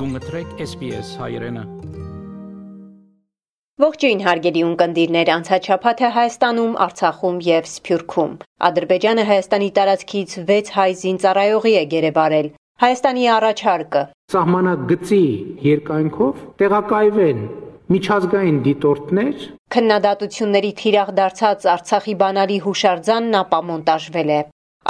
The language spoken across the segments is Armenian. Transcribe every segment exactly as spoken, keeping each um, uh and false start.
Գունգտրեք S B S հայրենը։ Ողջույն հարգելի ունկնդիրներ, անցած շաբաթ է Հայաստանում, Արցախում եւ Սփյուռքում։ Ադրբեջանը Հայաստանի տարածքից վեց հայ զինծառայողի է գերեբարել։ Հայաստանի առաջարկը սահմանագծի երկայնքով տեղակայվեն միջազգային դիտորդներ։ Քննադատությունների թիրախ դարձած Արցախի բանալի հուշարձանն ապամոնտաժվել է։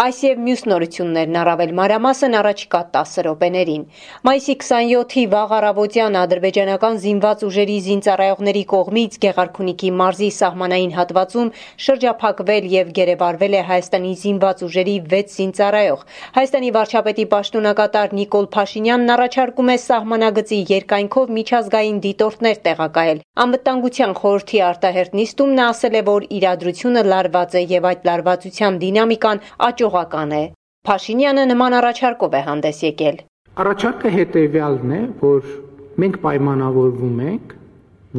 Այս եւ մյուս նորություններն առավել մանրամասն առաջիկա տասը րոպեներին։ Մայիսի քսանյոթի վաղ առավոտյան ադրբեջանական զինված ուժերի զինծառայողների կողմից Գեղարքունիքի մարզի սահմանային հատվածում շրջափակվել եւ գերեբարվել է Հայաստանի զինված ուժերի վեց զինծառայող։ Հայաստանի վարչապետի պաշտոնակատար Նիկոլ Փաշինյանն առաջարկում է սահմանագծի երկայնքով միջազգային դիտորդներ տեղակայել։ Անվտանգության խորհրդի արտահերտ նիստում նա ասել է, որ իրադրությունը լարված է եւ այդ լարվածության դինամիկան աճողական է։ Փաշինյանը նման առաջարկով է հանդես եկել։ Առաջարկը հետևյալն է, որ մենք պայմանավորվում ենք,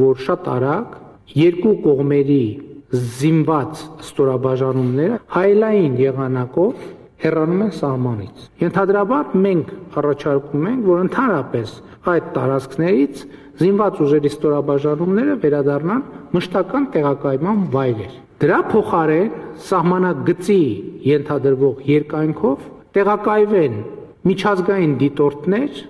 որ շատ արագ երկու կողմերի զինված ստորաբաժանումները հայելային եղանակով հեռանում են սահմանից։ Ենթադրաբար մենք առաջարկում ենք, որ ընդհանրապես այդ տարածքներից զինված ուժերի ստորաբաժանումները վերադառնան մշտական տեղակայման վայրեր։ Դրա փոխարեն սահմանագծի ենթադրվող երկայնքով տեղակայվեն միջազգային դիտորդներ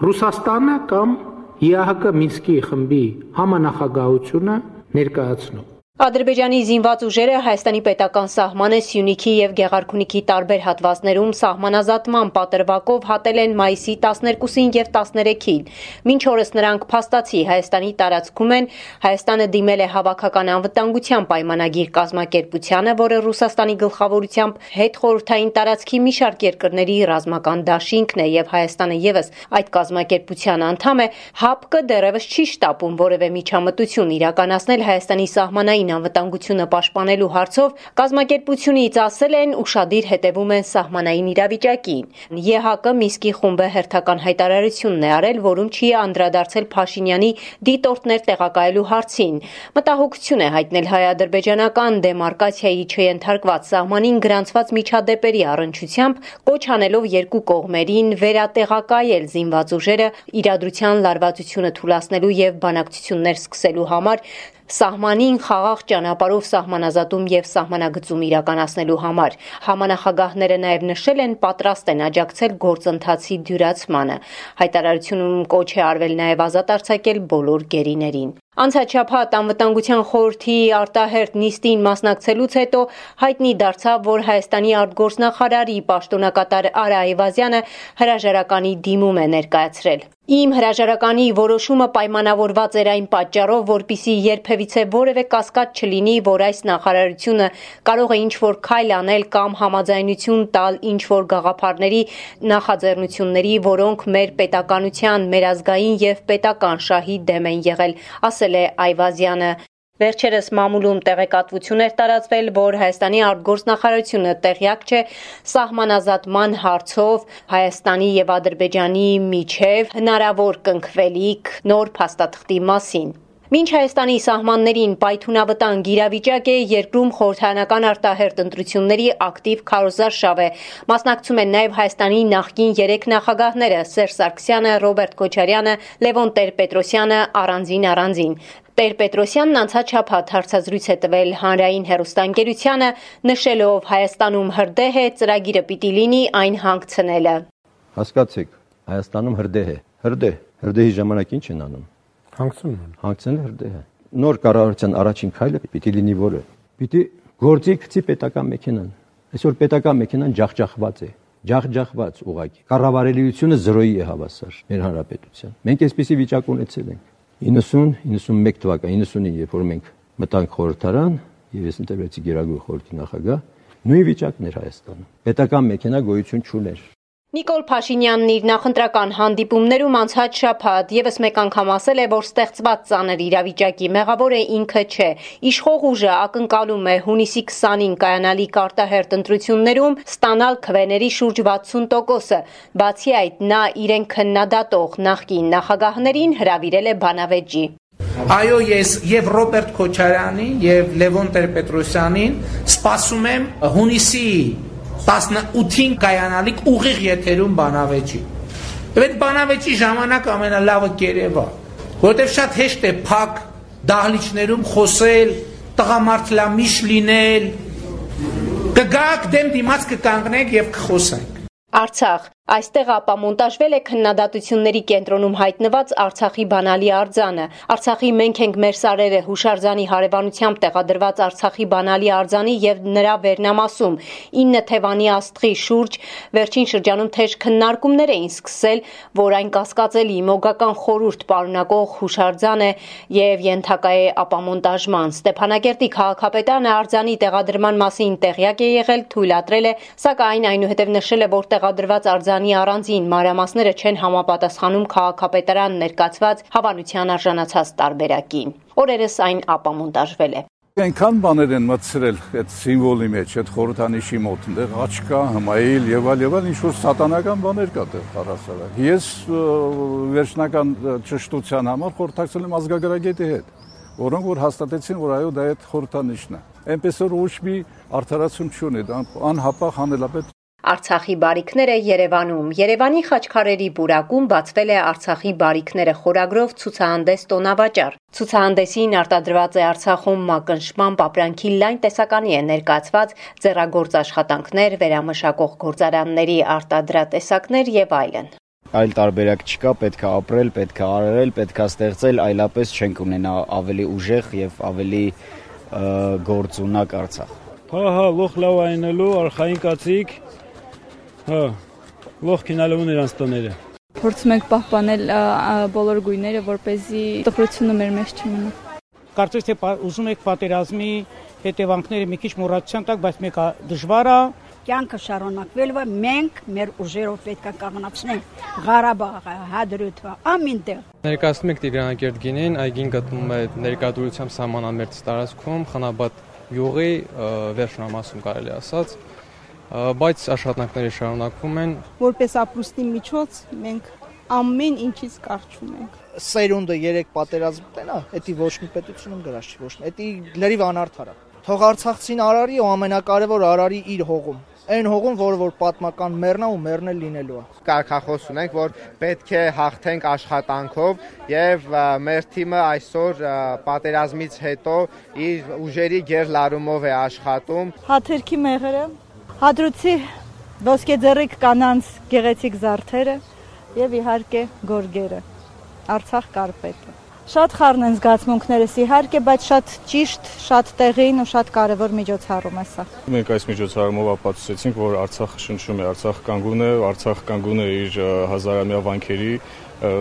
Ռուսաստանը կամ Ե Ահ Կը Մինսկի խմբի համանախագահությունը ներկայացնում։ Ադրբեջանի զինված ուժերը Հայաստանի պետական սահմանը Սյունիքի եւ Գեղարքունիքի տարբեր հատվածներում սահմանազատման պատրվակով հատել են մայիսի տասներկուսին եւ տասներեքին։ Մինչ օրս նրանք փաստացի Հայաստանի տարածքում են, Հայաստանը դիմել է հավաքական անվտանգության պայմանագիր կազմակերպությանը, որը Ռուսաստանի գլխավորությամբ հետխորհրդային տարածքի մի շարք երկրների ռազմական դաշինքն է եւ Հայաստանը եւս այդ կազմակերպության անդամ է, Հ Ա Պ Կը դեռևս չի շտապում որևէ միջամտություն իրականացնել Հայաստանի սահմանային անվտանգությունը պաշտպանելու հարցով կազմակերպությունից ասել են ուշադիր հետևում են սահմանային իրավիճակին։ Ե Ահ Կը Մինսկի խումբը հերթական հայտարարությունն է արել, որում չի անդրադարձել Փաշինյանի դիտորդներ տեղակայելու հարցին։ Մտահոգություն է հայտնել հայ-ադրբեջանական դեմարկացիայի չենթարկված սահմանին գրանցված միջադեպերի առնչությամբ, կոչ անելով երկու կողմերին վերատեղակայել զինված ուժերը իրադրության լարվածությունը թուլացնելու եւ բանակցություններ սկսելու համար, սահմանին խաղաղ ճանապարհով սահմանազատում եւ սահմանագծում իրականացնելու համար։ Համանախագահները նաեւ նշել են պատրաստ են աջակցել գործընթացի դյուրացմանը։ Հայտարարությունում կոչ է արվել նաեւ ազատ արձակել բոլոր գերիներին։ Անցած շաբաթ անվտանգության խորհրդի արտահերտ նիստին մասնակցելուց հետո հայտնի դարձավ, որ Հայաստանի արտգործնախարարի պաշտոնակատար Արա Այվազյանը հրաժարականի դիմում է ներկայացրել։ Իմ հրաժարականի որոշումը պայմանավորված էր այն պատճառով, որպիսի երբևիցե որևէ կասկած չլինի, որ այս նախարարությունը կարող է ինչ-որ քայլ անել կամ համաձայնություն տալ ինչ-որ գաղափարների, նախաձեռնությունների, որոնք մեր պետականության, մեր ազգային եւ պետական շահի դեմ են եղել, ասել է Այվազյանը։ Վերջերս մամուլում տեղեկատվություն էր տարածվել, որ Հայաստանի արտգործնախարարությունը տեղյակ չէ սահմանազատման հարցով Հայաստանի եւ Ադրբեջանի միջև հնարավոր կնքվելիք նոր փաստաթղթի մասին։ Մինչ Հայաստանի սահմաններին պայթունավտանգ իրավիճակ է, երկրում խորհրդարանական արտահերտ ընտրությունների ակտիվ քարոզարշավ է։ Մասնակցում են նաև Հայաստանի նախկին երեք նախագահները՝ Սերժ Սարգսյանը, Ռոբերտ Քոչարյանը, Լևոն Տեր-Պետրոսյանը առանձին առանձին։ Տեր-Պետրոսյանն անցած շաբաթ հարցազրույց է տվել հանրային հեռուստաընկերությանը, նշելով Հայաստանում հրդեհ է, ծրագիրը պիտի լինի այն հանգցնելը։ Հասկացեք, Հայաստանում հրդեհ է։ Հրդեհ, հրդեհի ժամանակ ինչ են անում։ Հանգցնում են։ Հանգցնել հրդեհը։ Նոր կառավարության առաջին քայլը պիտի լինի որը։ Պիտի գործի գցի պետական մեքենան։ Այսօր պետական մեքենան ջախջախված է։ Ջախջախված ուղղակի։ Կառավարելիությունը զրոյի է հավասար մեր հանրապետության։ Մենք այսպիսի վիճակ ունեցել ենք։ իննսուն իննսունմեկ թվական իննսունին, երբ որ մենք մտանք խորհրդարան եւ ես ընտրվեցի Գերագույն խորհրդի նախագահ, նույն վիճակն էր Հայաստանում։ Պետական մեքենա գոյություն չուներ։ Նիկոլ Փաշինյանն իր նախընտրական հանդիպումներում անցած շաբաթ եւս մեկ անգամ ասել է, որ ստեղծված ծանր իրավիճակի մեղավոր է ինքը չէ։ Իշխող ուժը ակնկալում է հունիսի քսանին կայանալիք արտահերտ ընտրություններում ստանալ քվեների շուրջ վաթսուն տոկոսը։ Բացի այդ, նա իրեն քննադատող նախկին նախագահներին հրավիրել է բանավեճի։ Այո, ես եւ Ռոբերտ Քոչարյանին եւ Լևոն Տեր-Պետրոսյանին սպասում եմ հունիսի տասնութին կայանալիք ուղիղ եթերում բանավեճի։ Եվ այդ բանավեճի ժամանակ ամենալավը կերևա, որտեղ շատ հեշտ է փակ դահլիճներում խոսել, տղամարդլամիշ լինել, կգաք դեմ դիմաց կկանգնեք եւ կխոսենք։ Արցախ Այստեղ ապամոնտաժվել է քննադատությունների կենտրոնում հայտնված Արցախի բանալի արձանը։ Արցախի «Մենք ենք մեր սարերը» հուշարձանի հարևանությամբ տեղադրված Արցախի բանալի արձանի եւ նրա վերնամասում ինը թևանի աստղի շուրջ վերջին շրջանում թեժ քննարկումներ էին սկսել, որ այն կասկածելի մոգական խորհուրդ պարունակող հուշարձան է եւ ենթակա է ապամոնտաժման։ Ստեփանակերտի քաղաքապետարանը արձանի տեղադրման մասին տեղյակ է եղել, թույլատրել է, սակայն այնուհետև նշել է, որ տեղադրված արձանը առանձին մանրամասները չեն համապատասխանում քաղաքապետարան ներկայացված հավանության արժանացած տարբերակին։ Օրերս այն ապամոնտաժվել է։ Այնքան բաներ են մտցրել այդ սիմվոլի մեջ, այդ խորհրդանիշի մոտ, այնտեղ աչկա, հմայիլ եւ այլ եւ այլ ինչ որ սատանական բաներ կա դեռ առասարակ։ Ես վերջնական ճշտության համար խորհրդակցել եմ ազգագրագետի հետ, որոնք որ հաստատեցին, որ այո, դա այդ խորհրդանիշն է։ Այնպես որ ոչ մի արդարացում չունի, անհապաղ հանելապետ։ Արցախի բարիքները Երևանում։ Երևանի Խաչքարերի բուրակում բացվել է Արցախի բարիքները խորագրով ցուցահանդես տոնավաճառ։ Ցուցահանդեսին արտադրված է Արցախում մակնշմամբ ապրանքի լայն տեսականի է ներկայացված ձեռագործ աշխատանքներ, վերամշակող գործարանների արտադրատեսակներ եւ այլն։ Այլ տարբերակ չկա, պետք է ապրել, պետք է արել, պետք է ստեղծել, այլապես չենք ունենա ավելի ուժեղ եւ ավելի գործունակ Արցախ։ Հա, հա, լոխ լավ այնելու, արխային կացիկ։ Հա, լոխ քինալու նրանց տները։ Փորձում ենք պահպանել բոլոր գույները, որպեսզի տխրությունը մեր մեջ չմնա։ Կարծես թե ուզում եք պատերազմի հետևանքները մի քիչ մոռացության տակ, բայց մեկը դժվար է։ Կյանքը շարունակվել է, մենք մեր ուժերով պետք է կանգնացնենք Ղարաբաղը, Հադրութը, ամենտեղ։ Ներկայացնում ենք Տիգրանակերտ գինին, այգին գտնվում է ներկայությամբ սահմանամերձ տարածքում, Խնաբադ յուղի վերջնամասում կարելի ասած, բայց աշխատանքները շարունակվում են։ Որպես ապրուստի միջոց մենք ամեն ինչից կարճում ենք։ Սերունդը երեք պատերազմ տենա, էդի ոչ մի պետությունում գրած չի, ոչ մի, էդի լրիվ անարդար է։ Թող Արցախցին արարի ու ամենակարևոր արարի իր հողում։ Այն հողում, որը որ պատմական մեռնա ու մեռնել լինելու է։ Կարգախոս ունենք, որ պետք է հաղթենք աշխատանքով եւ մեր թիմը այսօր պատերազմից հետո իր ուժերի գերլարումով է աշխատում։ Հաթերքի մեղրը, Հադրութի ոսկեձեռիկ կանանց գեղեցիկ զարդերը եւ իհարկե գորգերը, Արցախ կարպետը։ Շատ խառն են զգացմունքներս իհարկե, բայց շատ ճիշտ, շատ տեղին ու շատ կարևոր միջոցառում է սա։ Մենք այս միջոցառումով ապացուցեցինք, որ Արցախը շնչում է, Արցախ կանգուն է, Արցախ կանգուն է իր հազարամյա վանքերի,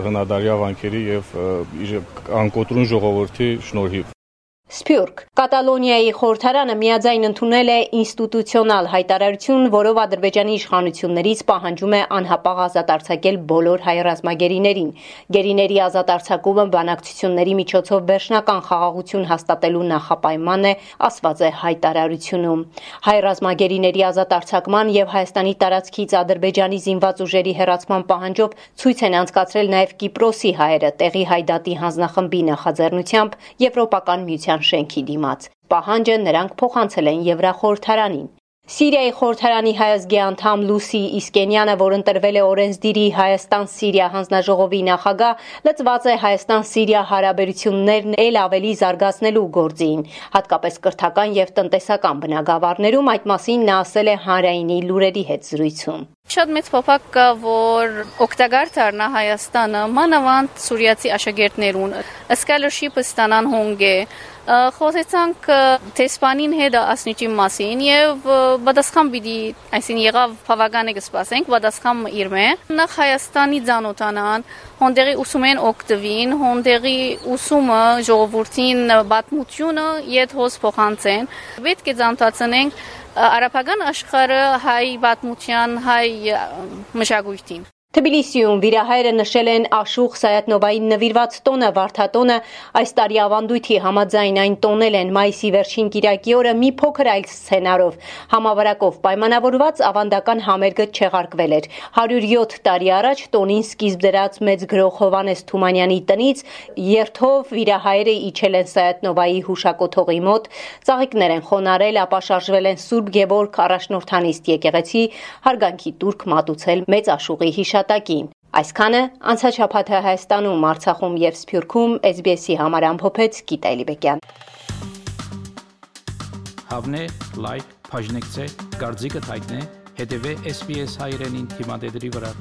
հնադարյա վանքերի եւ իր անկոտրուն ժողովրդի շնորհիվ։ Սփյուռք Կատալոնիայի խորհրդարանը միաձայն ընդունել է ինստիտուցիոնալ հայտարարություն, որով Ադրբեջանի իշխանություններից պահանջում է անհապաղ ազատ արձակել բոլոր հայ ռազմագերիներին։ Գերիների ազատ արձակումը բանակցությունների միջոցով վերջնական խաղաղություն հաստատելու նախապայման է, ասված է հայտարարությունում։ Հայ ռազմագերիների ազատ արձակման եւ Հայաստանի տարածքից Ադրբեջանի զինված ուժերի հեռացման պահանջով ցույց են անցկացրել նաեւ Կիպրոսի հայերը տեղի հայդատի հանձնախմբի նախաձեռնությամբ Եվրոպական միության շենքի դիմաց։ Պահանջը նրանք փոխանցել են Եվրախորհրդարանին։ Սիրիայի խորհրդարանի հայազգի անդամ Լուսի Իսկենյանը, որ ընտրվել է օրենսդիրի Հայաստան-Սիրիա հանձնաժողովի նախագահ, լծված է Հայաստան-Սիրիա հարաբերություններն էլ ավելի զարգացնելու գործին, հատկապես կրթական եւ տնտեսական բնագավառներում, այդ մասին նա ասել է Հանրայինի լուրերի հետ զրույցում։ Շատ մեծ փոփոխ կա, որ օգտակար դառնա Հայաստանը, մանավանդ սուրիացի աշակերտներուն, սկալերշիփը ստանան հոնգե, խոսեցանք տեսփանին հետ ասնիչի մասին եւ պատասխան պիտի, այսին եղավ բավական է կսպասենք, պատասխան իրմե, նախ Հայաստանի ցանոթանան, հոնդերի ուսումեն օգտվին, հոնդերի ուսումը ժողովրդին պատմությունը իդ հոս փոխանցեն, պետք է ցանոթացնենք արաբական աշխարհը հայ պատմության, հայ մշակույթին։ Թբիլիսիում վիրահայերը նշել են Աշուխ Սայաթնովային նվիրված տոնը Վարդատոնը, այս տարի ավանդույթի համաձայն այն տոնել են մայիսի վերջին կիրակի օրը մի փոքր այլ սցենարով, համավարակով պայմանավորված ավանդական համերգը չեղարկվել էր։ հարյուր յոթ տարի առաջ տոնին սկիզբ դրած մեծ գրող Հովանես Թումանյանի տնից երթով վիրահայերը իջել են Սայաթնովայի հուշակոթողի մոտ, ծաղիկներ են խոնարել, ապա շարժվել են Սուրբ Գևորգ առաջնորդանիստ եկեղեցի, հարգանքի տուրք մատուցել մեծ Աշուղի հիշատակին։ Այսքանը անցաչափաթը Հայաստանում, Արցախում եւ Սփյուռքում S B S-ի համար ամփոփեց Գիտա Էլիբեկյան։ Հավնե, լայք, բաժնեկցե, դարձիկը թայտնե, հետեւե S B S հայրենին թիմադեդի վրա։